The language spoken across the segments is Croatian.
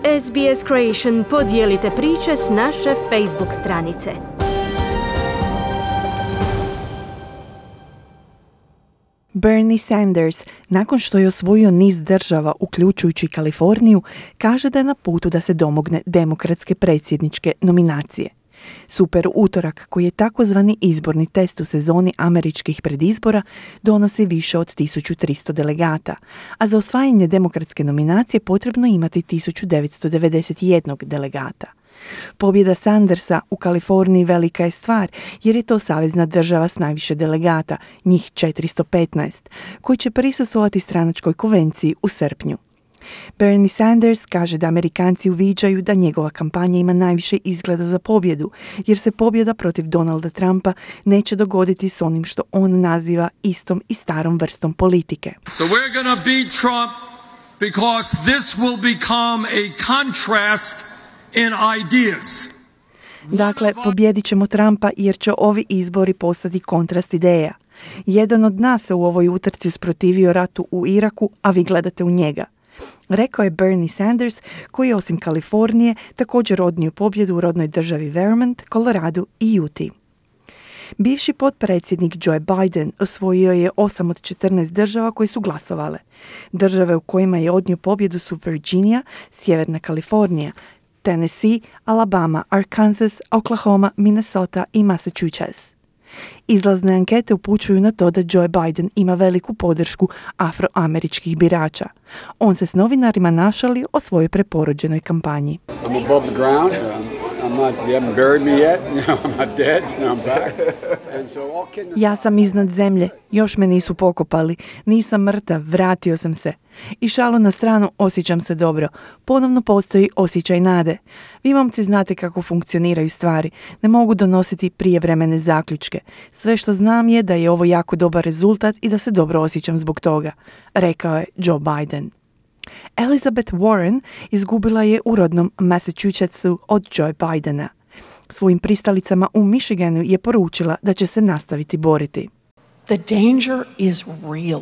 SBS Creation podijelite priče s naše Facebook stranice. Bernie Sanders, nakon što je osvojio niz država, uključujući Kaliforniju, kaže da je na putu da se domogne demokratske predsjedničke nominacije. Super utorak, koji je takozvani izborni test u sezoni američkih predizbora, donosi više od 1300 delegata, a za osvajanje demokratske nominacije potrebno imati 1991 delegata. Pobjeda Sandersa u Kaliforniji velika je stvar, jer je to savezna država s najviše delegata, njih 415, koji će prisustvovati stranačkoj konvenciji u srpnju. Bernie Sanders kaže da Amerikanci uviđaju da njegova kampanja ima najviše izgleda za pobjedu, jer se pobjeda protiv Donalda Trumpa neće dogoditi s onim što on naziva istom i starom vrstom politike. So we're going to beat Trump because this will become a contrast in ideas. Dakle, pobjedit ćemo Trumpa jer će ovi izbori postati kontrast ideja. Jedan od nas se u ovoj utrci usprotivio ratu u Iraku, a vi gledate u njega. Rekao je Bernie Sanders, koji je osim Kalifornije također odnio pobjedu u rodnoj državi Vermont, Colorado i Utah. Bivši potpredsjednik Joe Biden osvojio je 8 od 14 država koje su glasovale. Države u kojima je odnio pobjedu su Virginia, Sjeverna Kalifornija, Tennessee, Alabama, Arkansas, Oklahoma, Minnesota i Massachusetts. Izlazne ankete upućuju na to da Joe Biden ima veliku podršku afroameričkih birača. On se s novinarima našalio o svojoj preporođenoj kampanji. I'm above the ground. You haven't buried me yet. I'm not dead. I'm back. And so all kidding aside, Ja sam iznad zemlje, još me nisu pokopali, nisam mrtav, vratio sam se. I šalu na stranu, osjećam se dobro. Ponovno postoji osjećaj nade. Vi momci znate kako funkcioniraju stvari. Ne mogu donositi prijevremene zaključke. Sve što znam je da je ovo jako dobar rezultat i da se dobro osjećam zbog toga, rekao je Joe Biden. Elizabeth Warren izgubila je u rodnom Massachusettsu od Joe Bidena. Svojim pristalicama u Michiganu je poručila da će se nastaviti boriti. The danger is real.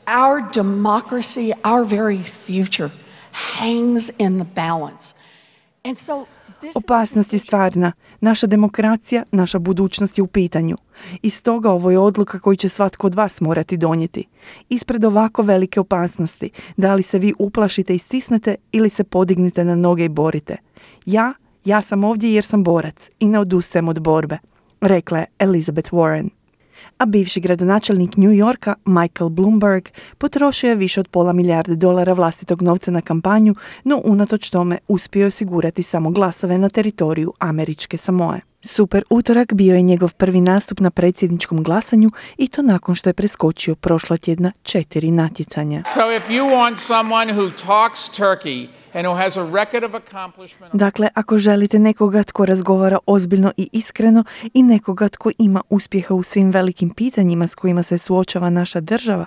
Our democracy, our very future hangs in the balance. And so Opasnost je stvarna. Naša demokracija, naša budućnost je u pitanju. I stoga ovo je odluka koju će svatko od vas morati donijeti. Ispred ovako velike opasnosti, da li se vi uplašite i stisnete ili se podignete na noge i borite. Ja sam ovdje jer sam borac i ne odustajem od borbe, rekla je Elizabeth Warren. A bivši gradonačelnik New Yorka, Michael Bloomberg, potrošio je više od $500 milijarde vlastitog novca na kampanju, no unatoč tome uspio je osigurati samo glasove na teritoriju američke Samoe. Super utorak bio je njegov prvi nastup na predsjedničkom glasanju i to nakon što je preskočio prošlotjedna 4 natjecanja. So if you want someone who talks Turkey and who has a record of accomplishment... Dakle, ako želite nekoga tko razgovara ozbiljno i iskreno i nekoga tko ima uspjeha u svim velikim pitanjima s kojima se suočava naša država,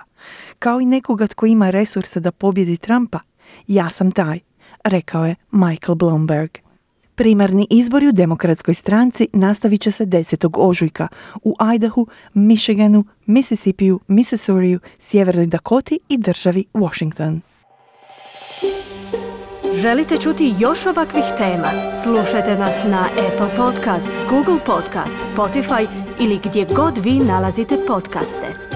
kao i nekoga tko ima resurse da pobjedi Trumpa, ja sam taj, rekao je Michael Bloomberg. Primarni izbori u demokratskoj stranci nastavit će se 10. ožujka u Idahu, Michiganu, Mississippiju, Missouriju, Sjevernoj Dakoti i državi Washington. Želite čuti još ovakvih tema? Slušajte nas na Apple Podcast, Google Podcast, Spotify ili gdje god vi nalazite podcaste.